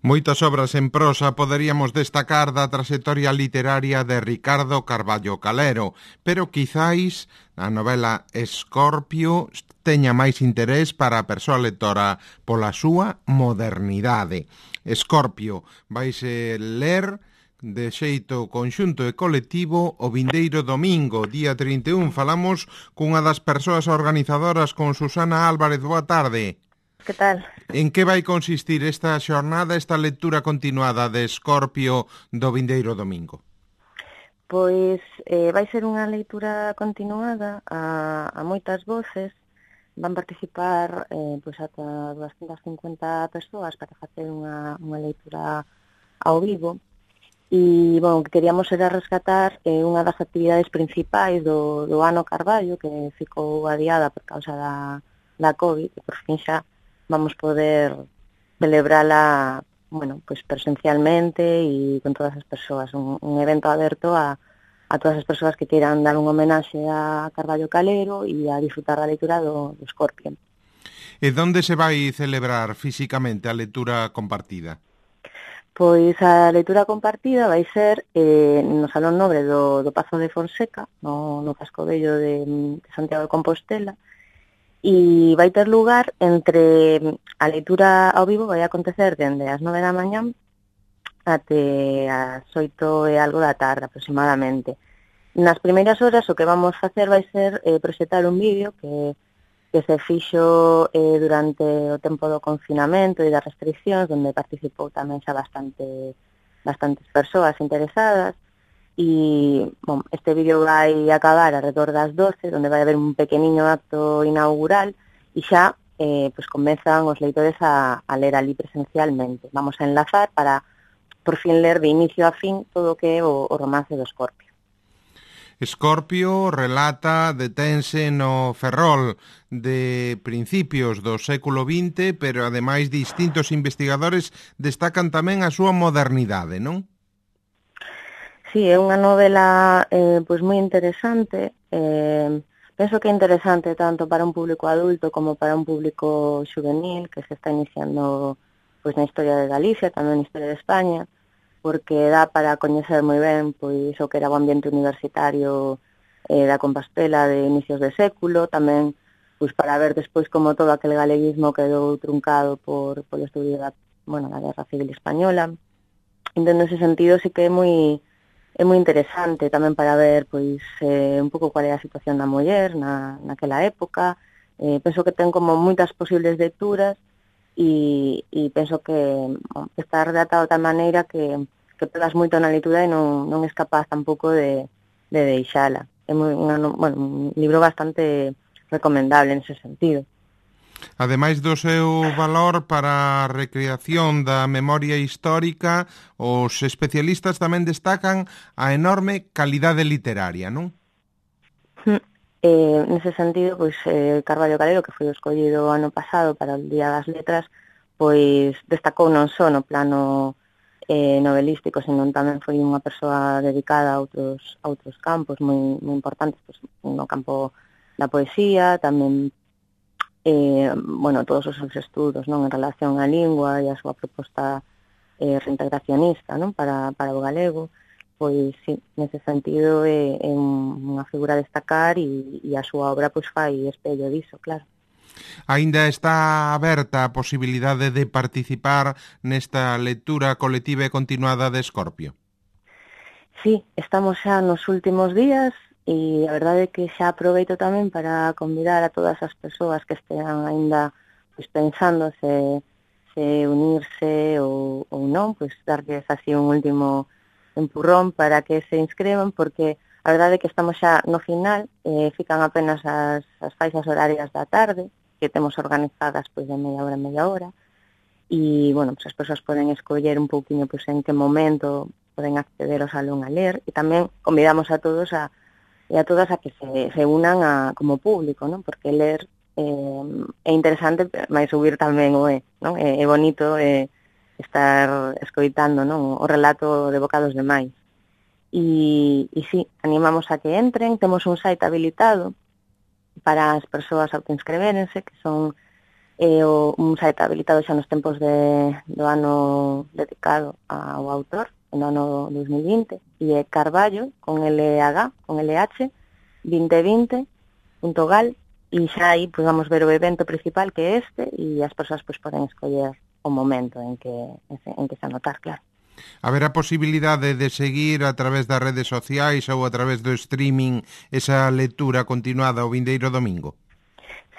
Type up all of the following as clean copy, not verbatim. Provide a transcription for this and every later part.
Moitas obras en prosa poderíamos destacar da traxectoria literaria de Ricardo Carballo Calero, pero quizáis a novela Escorpio teña máis interés para a persoa lectora pola súa modernidade. Escorpio vaise ler de xeito conxunto e colectivo o vindeiro domingo, día 31. Falamos cunha das persoas organizadoras, con Susana Álvarez. Boa tarde. Que tal? En que vai consistir esta xornada, esta lectura continuada de Escorpio do vindeiro domingo? Pois vai ser unha leitura continuada a moitas voces. Van participar pois ata 250 persoas para facer unha leitura ao vivo. E, bon, que queríamos era rescatar unha das actividades principais do ano Carballo, que ficou adiada por causa da COVID, e por fin xa vamos poder celebrala, bueno, pues presencialmente e con todas as persoas, un evento aberto a todas as persoas que queiran dar un homenaxe a Carballo Calero e a disfrutar da lectura do Escorpio. E onde se vai celebrar físicamente a lectura compartida? Pois a lectura compartida vai ser no Salón Nobre do Pazo de Fonseca, no Casco Vello de Santiago de Compostela, e vai ter lugar entre a leitura ao vivo, vai acontecer dende as 9 da mañá até as 8 e algo da tarde aproximadamente. Nas primeiras horas o que vamos facer vai ser proxectar un vídeo que se fixo durante o tempo do confinamento e das restriccións, onde participou tamén xa bastantes persoas interesadas. E, bom, este vídeo vai acabar alrededor das 12, onde vai haber un pequeniño acto inaugural e xa pues comezan os leitores a ler ali presencialmente. Vamos a enlazar para por fin ler de inicio a fin todo o que é o romance do Escorpio. Escorpio relata, detense no Ferrol de principios do século XX, pero ademais distintos investigadores destacan tamén a súa modernidade, non? Sí, é unha novela pois moi interesante. Penso que é interesante tanto para un público adulto como para un público xuvenil que se está iniciando pois na historia de Galicia, tamén na historia de España, porque dá para coñecer moi ben pois o que era o ambiente universitario da Compostela de inicios de século, tamén pois para ver despois como todo aquel galeguismo quedou truncado polo estudio da Guerra Civil Española. Entón, nese sentido, sí que é moi interesante tamén para ver pois un pouco cual é a situación da muller naquela época. Penso que ten como moitas posibles lecturas e penso que está redactado de tal maneira que pegas moito na lectura e non es capaz tampouco de deixala. É un libro bastante recomendable nese sentido. Ademais do seu valor para a recreación da memoria histórica, os especialistas tamén destacan a enorme calidade literaria, non? Nese sentido, pois Carballo Calero, que foi escollido ano pasado para o Día das Letras, pois destacou non só no plano novelístico, senón tamén foi unha persoa dedicada a outros campos moi importantes, pois no campo da poesía, tamén todos os seus estudos, non, en relación á lingua e a súa proposta reintegracionista, non, para o galego. Pois, sí, nese sentido é unha figura a destacar e a súa obra pois fai espello diso, claro. Aínda está aberta a posibilidade de participar nesta lectura colectiva e continuada de Escorpio? Sí, estamos xa nos últimos días e a verdade é que xa aproveito tamén para convidar a todas as persoas que estean aínda pois pensando se unirse ou non, pois darles así un último empurrón para que se inscrevan, porque a verdade é que estamos xa no final, fican apenas as faixas horarias da tarde, que temos organizadas pois de media hora, e, pois as persoas poden escoller un pouquiño pois en que momento poden acceder ao salón a ler, e tamén convidamos a todos e a todas a que se unan como público, non? Porque ler é interesante, mas subir tamén o é, non? É bonito estar escoitando, non, o relato de boca dos demais. E sí, animamos a que entren, temos un site habilitado para as persoas autoinscrevérense, que son un site habilitado xa nos tempos do ano dedicado ao autor, no ano 2020, e é Carballo, con LH, 2020.gal, e xa aí pues, vamos ver o evento principal que é este, e as persoas pues, poden escoller o momento en que se anotar, claro. Haberá posibilidade de seguir a través das redes sociais ou a través do streaming esa lectura continuada o vindeiro domingo?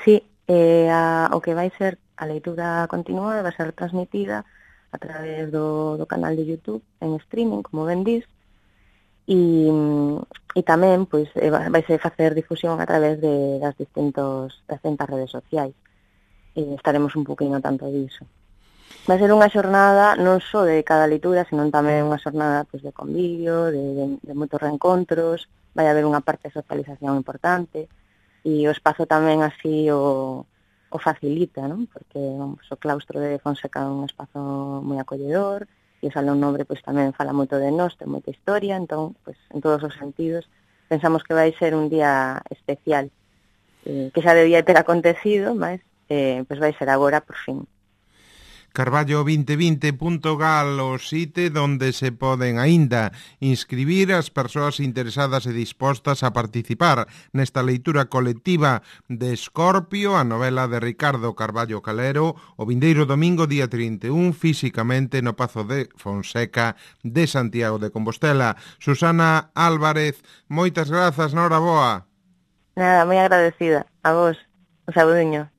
Sí, o que vai ser a leitura continuada vai ser transmitida a través do canal de YouTube en streaming, como ben dís, e tamén pois vaise facer difusión a través das distintas redes sociais. Estaremos un poquinho tanto diso. Vai ser unha xornada non só de cada leitura, senón tamén unha xornada pois, de convivio, de moitos reencontros, vai haber unha parte de socialización importante, e o espazo tamén así o facilita, non? Porque vamos, o claustro de Fonseca é un espazo moi acolledor, e o Salón Nobre pois, tamén fala moito de nós, ten moita historia, entón, pois, en todos os sentidos, pensamos que vai ser un día especial, que xa debía ter acontecido, mas pois vai ser agora por fin. Carballo2020.gal o site donde se poden aínda inscribir as persoas interesadas e dispostas a participar nesta leitura colectiva de Escorpio, a novela de Ricardo Carballo Calero, o vindeiro domingo día 31, físicamente no Pazo de Fonseca de Santiago de Compostela. Susana Álvarez, moitas grazas, noraboa. Nada, moi agradecida a vos, o sabudiño.